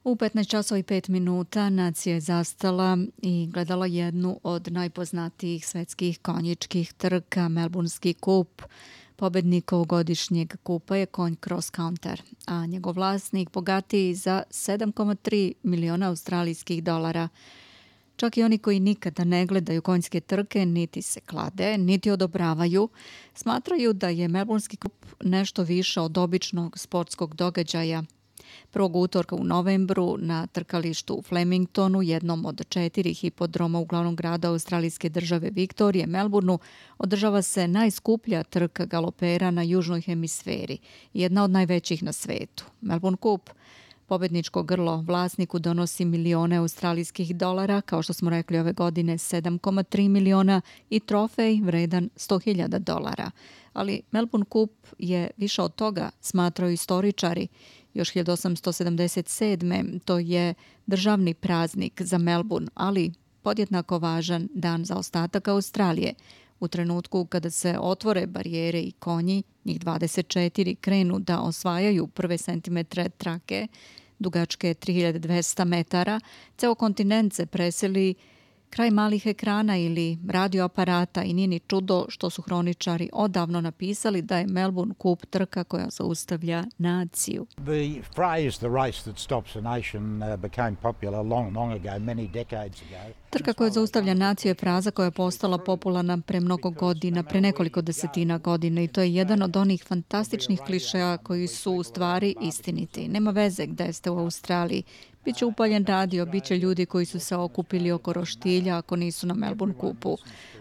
U 15 časova i 5 minuta nacija je zastala i gledala jednu od najpoznatijih svetskih konjičkih trka, Melbournski kup. Pobednik ovogodišnjeg kupa je konj Cross Counter, a njegov vlasnik bogatiji za 7,3 miliona australijskih dolara. Čak i oni koji nikada ne gledaju konjske trke, niti se klade, niti odobravaju, smatraju da je Melbournski kup nešto više od običnog sportskog događaja. Prvog utorka u novembru na trkalištu u Flemingtonu, jednom od 4 hipodroma u glavnom grada australijske države Viktorije, Melbourneu, održava se najskuplja trka galopera na južnoj hemisferi, jedna od najvećih na svetu. Melbourne Cup. Pobedničko grlo vlasniku donosi milione australijskih dolara, kao što smo rekli ove godine 7,3 miliona i trofej vredan 100.000 dolara. Ali Melbourne Cup je više od toga, smatraju istoričari. Još 1877. to je državni praznik za Melbourne, ali podjednako važan dan za ostatak Australije. U trenutku kada se otvore barijere i konji, njih 24 krenu da osvajaju prve centimetre trake, dugačke 3200 metara, ceo kontinent se preseli kraj malih ekrana ili radioaparata i nije ni čudo što su hroničari odavno napisali da je Melbourne Cup trka koja zaustavlja naciju. The phrase "the race that stops a nation" became popular long ago, many decades ago. Trka koja zaustavlja naciju je fraza koja je postala popularna pre mnogo godina, pre nekoliko desetina godina i to je jedan od onih fantastičnih klišeja koji su u stvari istiniti. Nema veze gde ste u Australiji. Biće upaljen radio, biće ljudi koji su se okupili oko roštilja ako nisu na Melbourne Cupu.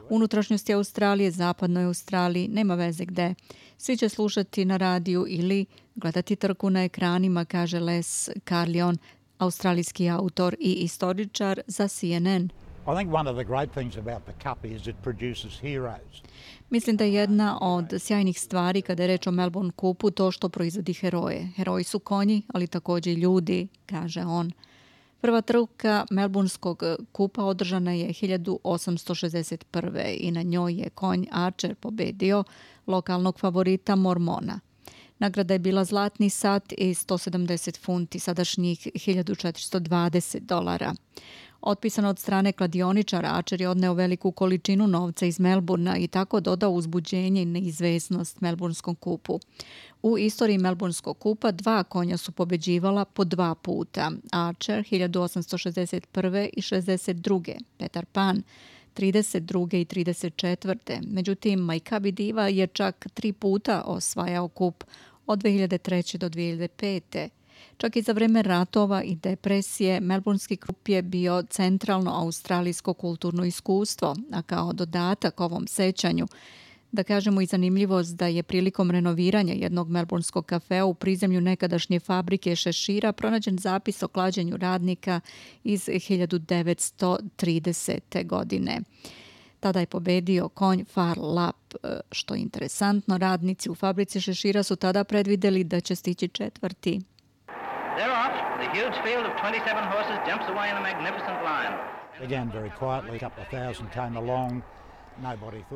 Unutrašnjosti Australije, zapadnoj Australiji, nema veze gde. Svi će slušati na radiju ili gledati trku na ekranima, kaže Les Carlion, australijski autor i istoričar za CNN. I think one of the great things about the Cup is it produces heroes. Mislim da je jedna od sjajnih stvari kada je reč o Melbourne Cupu to što proizvodi heroje. Heroji su konji, ali također i ljudi, kaže on. Prva trka Melbourneskog kupa održana je 1861. i na njoj je konj Archer pobedio lokalnog favorita Mormona. Nagrada je bila zlatni sat i 170 funti, sadašnjih 1420 dolara. Otpisan od strane kladioničara, Archer je odneo veliku količinu novca iz Melbourna i tako dodao uzbuđenje i neizvesnost Melbourneskom kupu. U istoriji Melbourneskog kupa 2 konja su pobeđivala po 2 puta. Archer 1861. i 62. Peter Pan 32. i 34. Međutim, Majkabi Diva je čak 3 puta osvajao kup od 2003. do 2005. Čak i za vreme ratova i depresije, Melbournski kup je bio centralno australijsko kulturno iskustvo, a kao dodatak ovom sećanju, da kažemo i zanimljivost da je prilikom renoviranja jednog melbourneskog kafea u prizemlju nekadašnje fabrike šešira pronađen zapis o klađenju radnika iz 1930. godine. Tada je pobedio konj Far Lap. Što je interesantno, radnici u fabrici šešira su tada predvideli da će stići četvrti. Thereof, the huge field of 27 horses jumps away in a magnificent line. Began very quietly, a couple of thousand came along.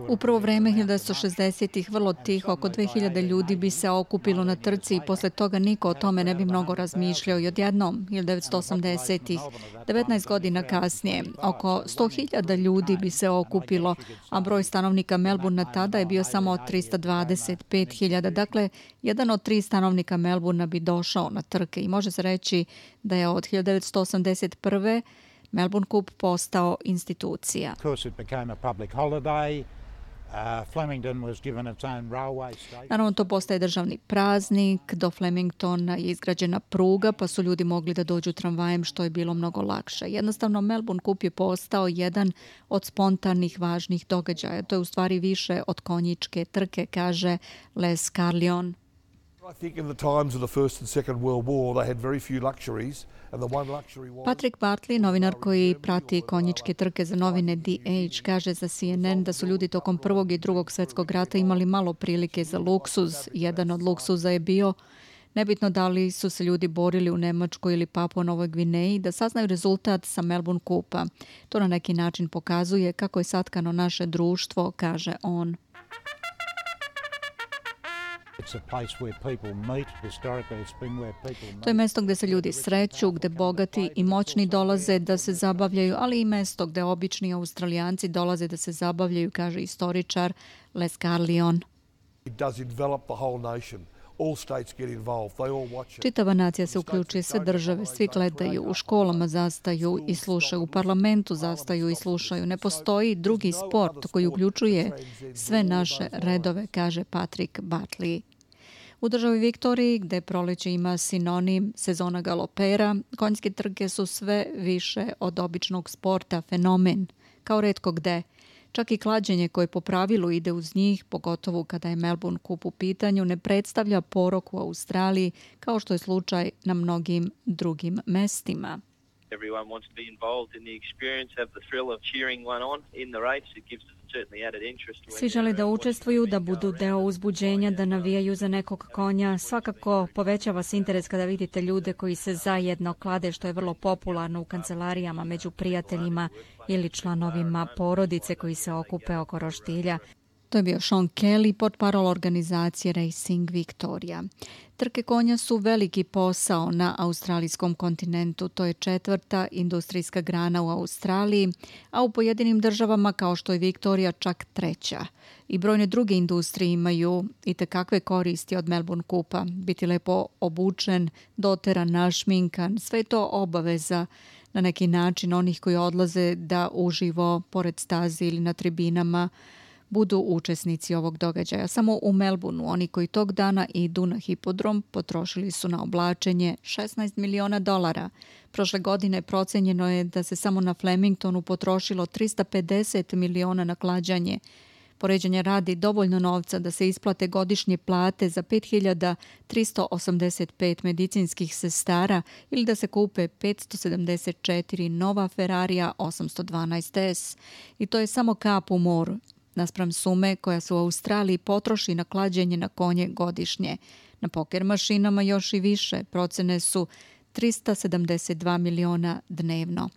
U prvo vreme 1960-ih vrlo tiho, oko 2000 ljudi bi se okupilo na trci i posle toga niko o tome ne bi mnogo razmišljao i odjednom 1980-ih, 19 godina kasnije, oko 100.000 ljudi bi se okupilo, a broj stanovnika Melbourna tada je bio samo 325.000, dakle, jedan od 3 stanovnika Melbourna bi došao na trke i može se reći da je od 1981. Melbourne Cup postao institucija. Naravno, to postaje državni praznik, do Flemingtona je izgrađena pruga, pa su ljudi mogli da dođu tramvajem, što je bilo mnogo lakše. Jednostavno, Melbourne Cup je postao jedan od spontanih važnih događaja. To je u stvari više od konjičke trke, kaže Les Carlion. Patrick Bartley, novinar koji prati konjičke trke za novine DH, kaže za CNN da su ljudi tokom Prvog i Drugog svjetskog rata imali malo prilike za luksuz. Jedan od luksuza je bio, nebitno da li su se ljudi borili u Nemačkoj ili Papua Novoj Gvineji, da saznaju rezultat sa Melbourne Cupa. To na neki način pokazuje kako je satkano naše društvo, kaže on. To je mesto gdje se ljudi sreću, gdje bogati i moćni dolaze da se zabavljaju, ali i mesto gdje obični Australijanci dolaze da se zabavljaju, kaže istoričar Les Carlion. Čitava nacija se uključuje, sve države, svi gledaju, u školama zastaju i slušaju, u parlamentu zastaju i slušaju. Ne postoji drugi sport koji uključuje sve naše redove, kaže Patrick Butley. U državi Viktoriji, gde proleće ima sinonim sezona galopera, konjske trke su sve više od običnog sporta fenomen, kao retko gde. Čak i klađenje koje po pravilu ide uz njih, pogotovo kada je Melbourne Cup u pitanju, ne predstavlja porok u Australiji kao što je slučaj na mnogim drugim mestima. Everyone wants to be involved in the experience, have the thrill of cheering one on in the race. It gives certainly added interest. Svi žele da učestvuju, da budu deo uzbuđenja, da navijaju za nekog konja. Svakako povećava se interes kada vidite ljude koji se zajedno klade, što je vrlo popularno u kancelarijama među prijateljima ili članovima porodice koji se okupe oko roštilja. To je bio Sean Kelly, portparol organizacije Racing Victoria. Trke konja su veliki posao na australijskom kontinentu. To je 4. industrijska grana u Australiji, a u pojedinim državama kao što je Viktorija čak 3. I brojne druge industrije imaju i tekakve koristi od Melbourne Cupa. Biti lepo obučen, doteran, našminkan, sve je to obaveza na neki način onih koji odlaze da uživo pored stazi ili na tribinama budu učesnici ovog događaja. Samo u Melbourneu oni koji tog dana idu na hipodrom potrošili su na oblačenje $16 miliona. Prošle godine procenjeno je da se samo na Flemingtonu potrošilo $350 miliona na klađanje. Poređenja radi dovoljno novca da se isplate godišnje plate za 5.385 medicinskih sestara ili da se kupe 574 nova Ferrarija 812S. I to je samo kap u moru naspram sume koja se u Australiji potroši na klađenje na konje godišnje. Na poker mašinama još i više, procene su $372 miliona dnevno.